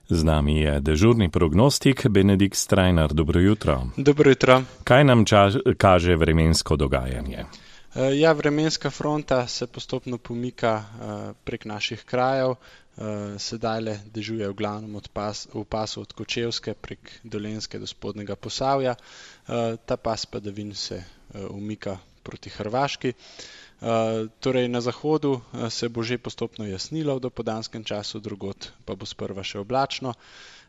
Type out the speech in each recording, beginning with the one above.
Z nami je dežurni prognostik Benedikt Strajnar. Dobro jutro. Dobro jutro. Kaj nam kaže vremensko dogajanje? Vremenska fronta se postopno pomika prek naših krajev. Sedajle dežuje v glavnem v pasu od Kočevske prek Dolenjske do Spodnjega Posavja. Ta pas padavin se umika proti Hrvaški. Torej na zahodu se bo že postopno jasnilo v dopoldanskem času, drugod pa bo sprva še oblačno.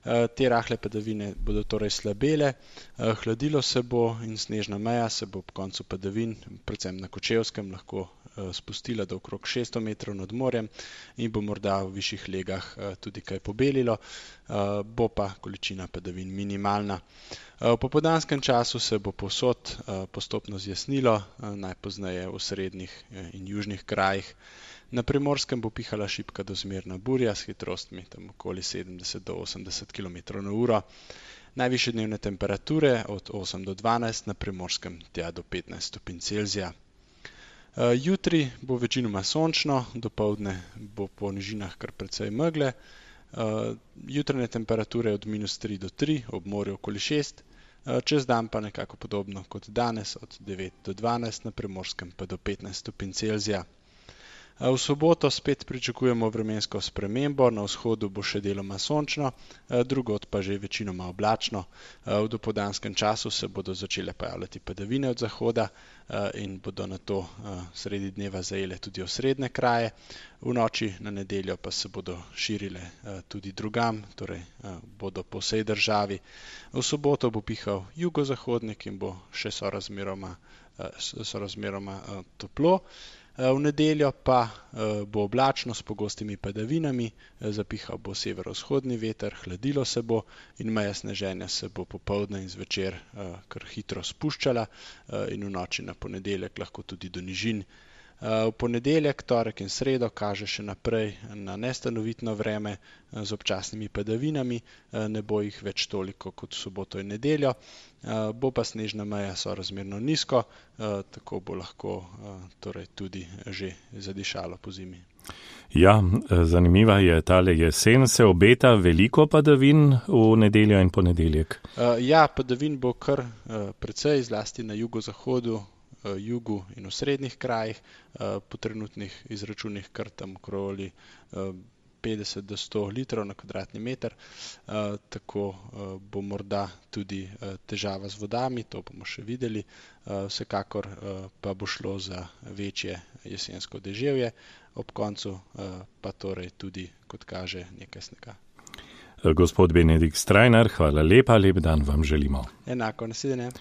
Te rahle padavine bodo torej slabele, hladilo se bo in snežna meja se bo ob koncu padavin, predvsem na Kočevskem, lahko spustila do okrog 600 metrov nad morjem in bo morda v višjih legah tudi kaj pobelilo, bo pa količina padavin minimalna. V popoldanskem času se bo povsod postopno zjasnilo, najpozneje v srednjih in južnih krajih. Na Primorskem bo pihala šibka do zmerna burja s hitrostmi tam okoli 70 do 80 km/h. Najvišje dnevne temperature od 8 do 12, na Primorskem tja do 15 stopinj Celzija. Jutri bo večinoma sončno, dopoldne bo po nižinah kar precej megle. Jutranje temperature od -3 do 3, ob morju okoli 6, čez dan pa nekako podobno kot danes, od 9 do 12, na Primorskem pa do 15 stopinj Celzija. V soboto spet pričakujemo vremensko spremembo, na vzhodu bo še deloma sončno, drugod pa že večinoma oblačno. V dopoldanskem času se bodo začele pojavljati padavine od zahoda in bodo nato sredi dneva zajele tudi osrednje kraje. V noči na nedeljo pa se bodo širile tudi drugam, torej bodo po vsej državi. V soboto bo pihal jugozahodnik in bo še sorazmeroma toplo. V nedeljo pa bo oblačno s pogostimi padavinami, zapihal bo severovzhodni veter, hladilo se bo in meja sneženja se bo popoldne in zvečer kar hitro spuščala in v noči na ponedeljek lahko tudi do nižin. V ponedeljek, torek in sredo kaže še naprej na nestanovitno vreme z občasnimi padavinami, ne bo jih več toliko kot v soboto in nedeljo, bo pa snežna meja sorazmerno nizko, tako bo lahko torej tudi že zadišalo pozimi. Ja, zanimiva je tale jesen, se obeta veliko padavin v nedeljo in ponedeljek? Padavin bo kar precej, zlasti na jugozahodu, jugu in v srednjih krajih, po trenutnih izračunih kar tam okoli 50 do 100 litrov na kvadratni meter, tako bo morda tudi težava z vodami, to bomo še videli, vsekakor pa bo šlo za večje jesensko deževje, ob koncu pa torej tudi, kot kaže, nekaj snega. Gospod Benedikt Strajnar, hvala lepa, lep dan vam želimo. Enako, nasvidenje.